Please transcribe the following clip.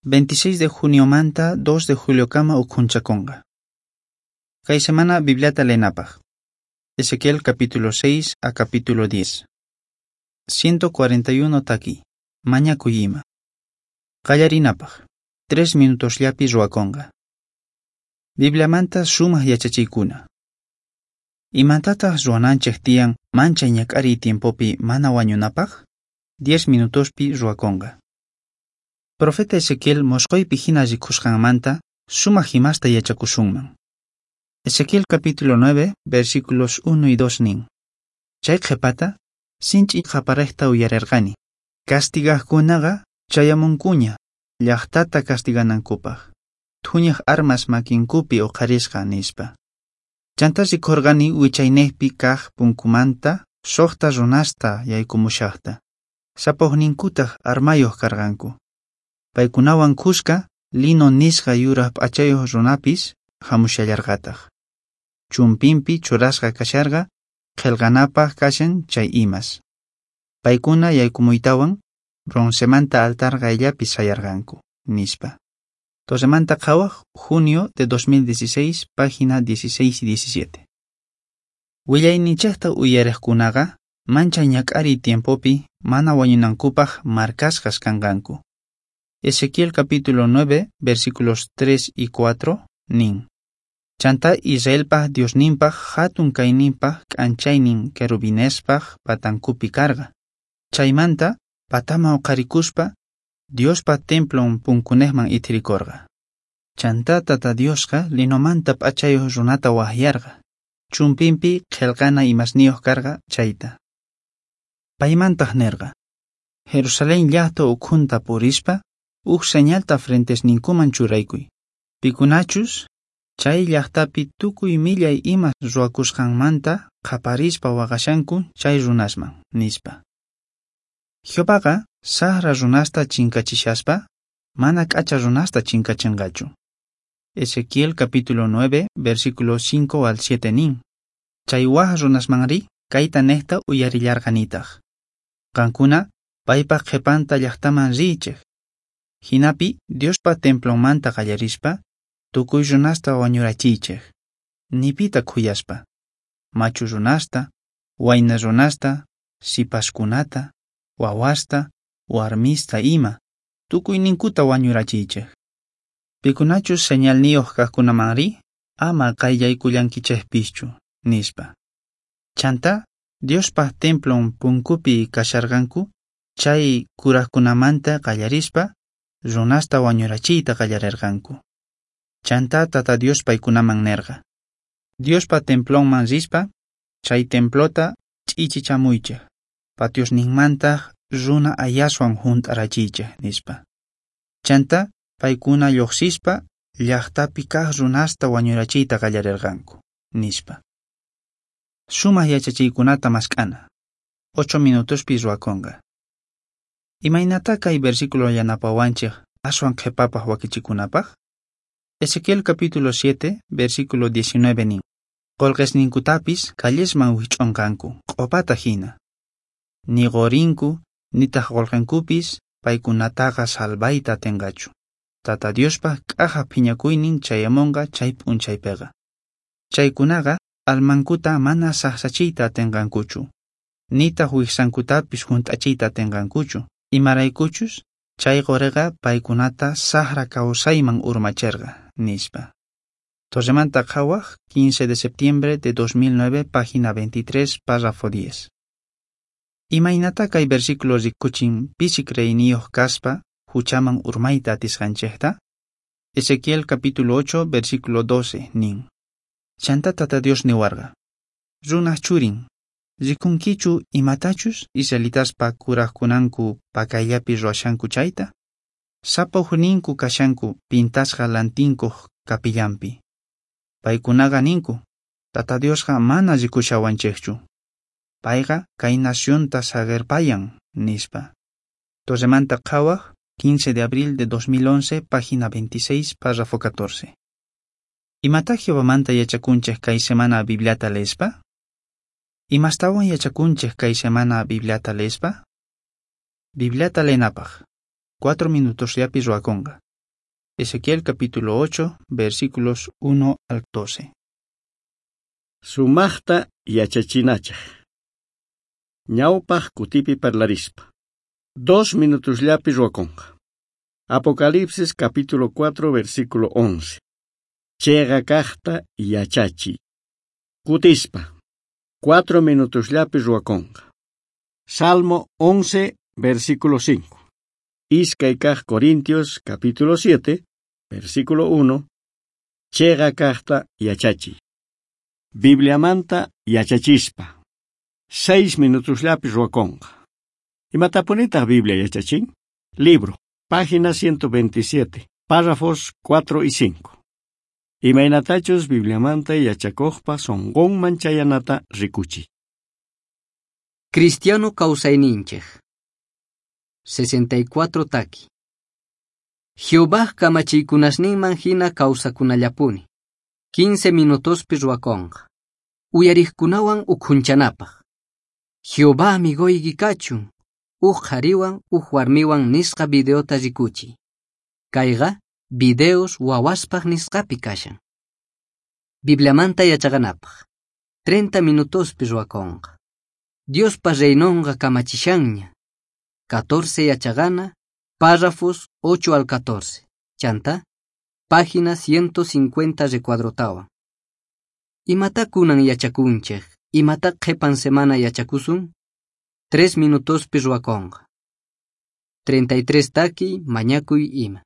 26 de juniomanta 2 de juliokama ukhunchakunqa. Kay semana Bibliata leenapaq. Ezequiel capítulo 6 a capítulo 10. 141 taki. Mañakuy ima. Qallarinapaq. 3 minutosllapi ruwakunqa. Bibliamanta sumaq yachachiykuna. Imatataq ruwananchik tiyan manchay ñak'ariy tiempopi mana wañunapaq? 10 minutospi ruwakunqa. Profeta Ezequiel mosqoypi hina rikusqanmanta sumaq imasta yachakusunman. Ezequiel capítulo 9, versículos 1 y 2 nin. Chay qhipata, sinch'i qaparejta uyarerqani. Castigaqkunaqa chayamunkuña, llaqtata castiganankupaq. Thuñaq armas makinkupi uqharisqa nispa. Chantá rikurqani wichaynejpi kaq punkumanta suqta runasta yaykumushaqta. Sapaqninkutaq armayuq karqanku. Paykunawan khuska lino nisqa yuraq p'achayuq runapis hamushallarqataq. Chumpinpi churasqa kasharqa qillqanapaq kashan chay imas. Paykuna yaykumuytawan broncemanta altar qayllapi sayarqanku, nispa. Torremanta Qhawaq, junio de 2016, página 16 y 17. Willayninchikta uyariqkunaqa manchay ñak'ariy tiempopi mana wañunankupaq markasqas kanqanku. Ezequiel capítulo 9, versículos 3 y 4, nin. Chantá Israelpaj Diosninpaj hatun kayninpaj k'anchaynin querubinespaj patankupi karqa. Chaymanta patama uqharikuspa Diospa templon punkunejman ithirikorqa. Chantá Tata Diosqa linomanta p'achayuq runata waqyarqa. Chumpinpi qillqana imasniyuq karqa chayta. Paymantaq nerqa: Jerusalén llaqta ukhunta purispa uj señalta frentesninkuman churaykuy. Pikunachus chay llaqtapi tukuy millay imas ruwakusqanmanta qaparispa waqashanku chay runasman, nispa. Jehovaqa saqra runasta chinkachishaspa mana k'acha runasta chinkachinqachu. Ezequiel capítulo 9, versículos 5 al 7 nin. Chay waj runasmanri kayta nejta uyarillarqanitaq. Qankuna paypaq qhipanta llaqtaman riychik. Hinapi Diospa templonmanta qallarispa tukuy runasta wañurachiychik. Nipita khuyaspa. Machu runasta, wayna runasta, sipaskunata, wawasta, warmista ima, tukuyninkuta wañurachiychik. Pikunachus señalniyuq kaqkunamanri ama qayllaykullankichikpischu, nispa. Chantá Diospa templon punkupi kasharqanku chay kuraqkunamanta qallarispa runasta wañurachiyta qallarirqanku. Chantá Tata Dios paykunaman nerqa: Diospa templonman rispa chay templota ch'ichichamuychik, patiosninmantaq runa ayaswan hunt'arachiychik, nispa. Chantá paykuna lluqsispa llaqtapi kaq runasta wañurachiyta qallarirqanku, nispa. Sumaq yachachiykunata mask'ana. 8 minutospi ruwakunqa. Imaynatá kay versículo yanapawanchik aswan qhipapaq wakichikunapaq? Ezequiel capítulo 7, versículo 19 nin. Qolqesninkutapis callesman wich'unqanku, q'opata hina. Ni qorinku, nitaq qolqenkupis paykunataqa salvayta atinqachu. Tata Diospa k'aja phiñakuynin chayamunqa chay p'unchaypiqa. Chaykunaqa almankuta mana saqsachiyta atinqankuchu, nitaq wijsankutapis hunt'achiyta atinqankuchu, imaraykuchus chay qoriqa paykunata saqra kawsayman urmachirqa, nispa. Torremanta Qhawaq, 15 de septiembre de 2009, página 23, párrafo 10. Imaynatá kay versículo rikuchin pisi creeyniyuq kaspa huchaman urmayta atisqanchikta? Ezequiel capítulo 8, versículo 12 nin. Chantá Tata Dios niwarqa: Runaj churin, rikunkichu imatachus israelitaspa kuraqkunanku pakayllapi ruwashanku chayta? Sapa ujninku kashanku pintasqa lantinkuq kapillanpi. Paykunaqa ninku: Tata Diosqa mana rikushawanchikchu. Payqa kay nacionta saqerpayan, nispa. Torremanta Qhawaq, 15 de abril de 2011, página 26, párrafo 14. Imatá Jehovamanta yachakunchik kay semana Bibliata leespa? Imastawan yachakunchik kay semana Bibliata leespa? Bibliata leenapaq. 4 minutosllapi ruwakunqa. Ezequiel capítulo 8, versículos 1 al 12. Sumaqta yachachinachaq. Ñawpaq kutipi parlarispa. 2 minutosllapi ruwakunqa. Apocalipsis capítulo 4 versículo 11. Chiqa kaqta yachachiy. Kutispa. 4 minutosllapi ruwakunqa. Salmo 11 versículo 5. Iskay kaq Corintios capítulo 7 versículo 1. Chiqa kaqta yachachiy. Bibliamanta yachachispa. 6 minutosllapi ruwakunqa. Imatapunitaq Biblia yachachin? Libro, página 127, párrafos 4 y 5. Imaynatachus Bibliamanta yachakuqpa sunqunman chayanata rikuchiy. Cristiano kawsayninchik. 64 taki. Jehová kamachiykunasninman hina kawsakunallapuni. 15 minutospi ruwakunqa. Uyariqkunawan ukhunchanapaq. Jehová amigoyki kachun. Uj qhariwan uj warmiwan nisqa videota rikuchiy. Kayqa videos wawaspaq nisqapi kashan. Bibliamanta yachaqanapaq. 30 minutospi ruwakunqa. Diospa reinonqa kamachishanña. 14 yachaqana, párrafos 8 al 14. Chanta, página 150 recuadrotawan. Imata kunan yachakunchik, imata qhipan semana yachakusun? 3 minutospi ruwakunqa. 33 taki, mañakuy ima.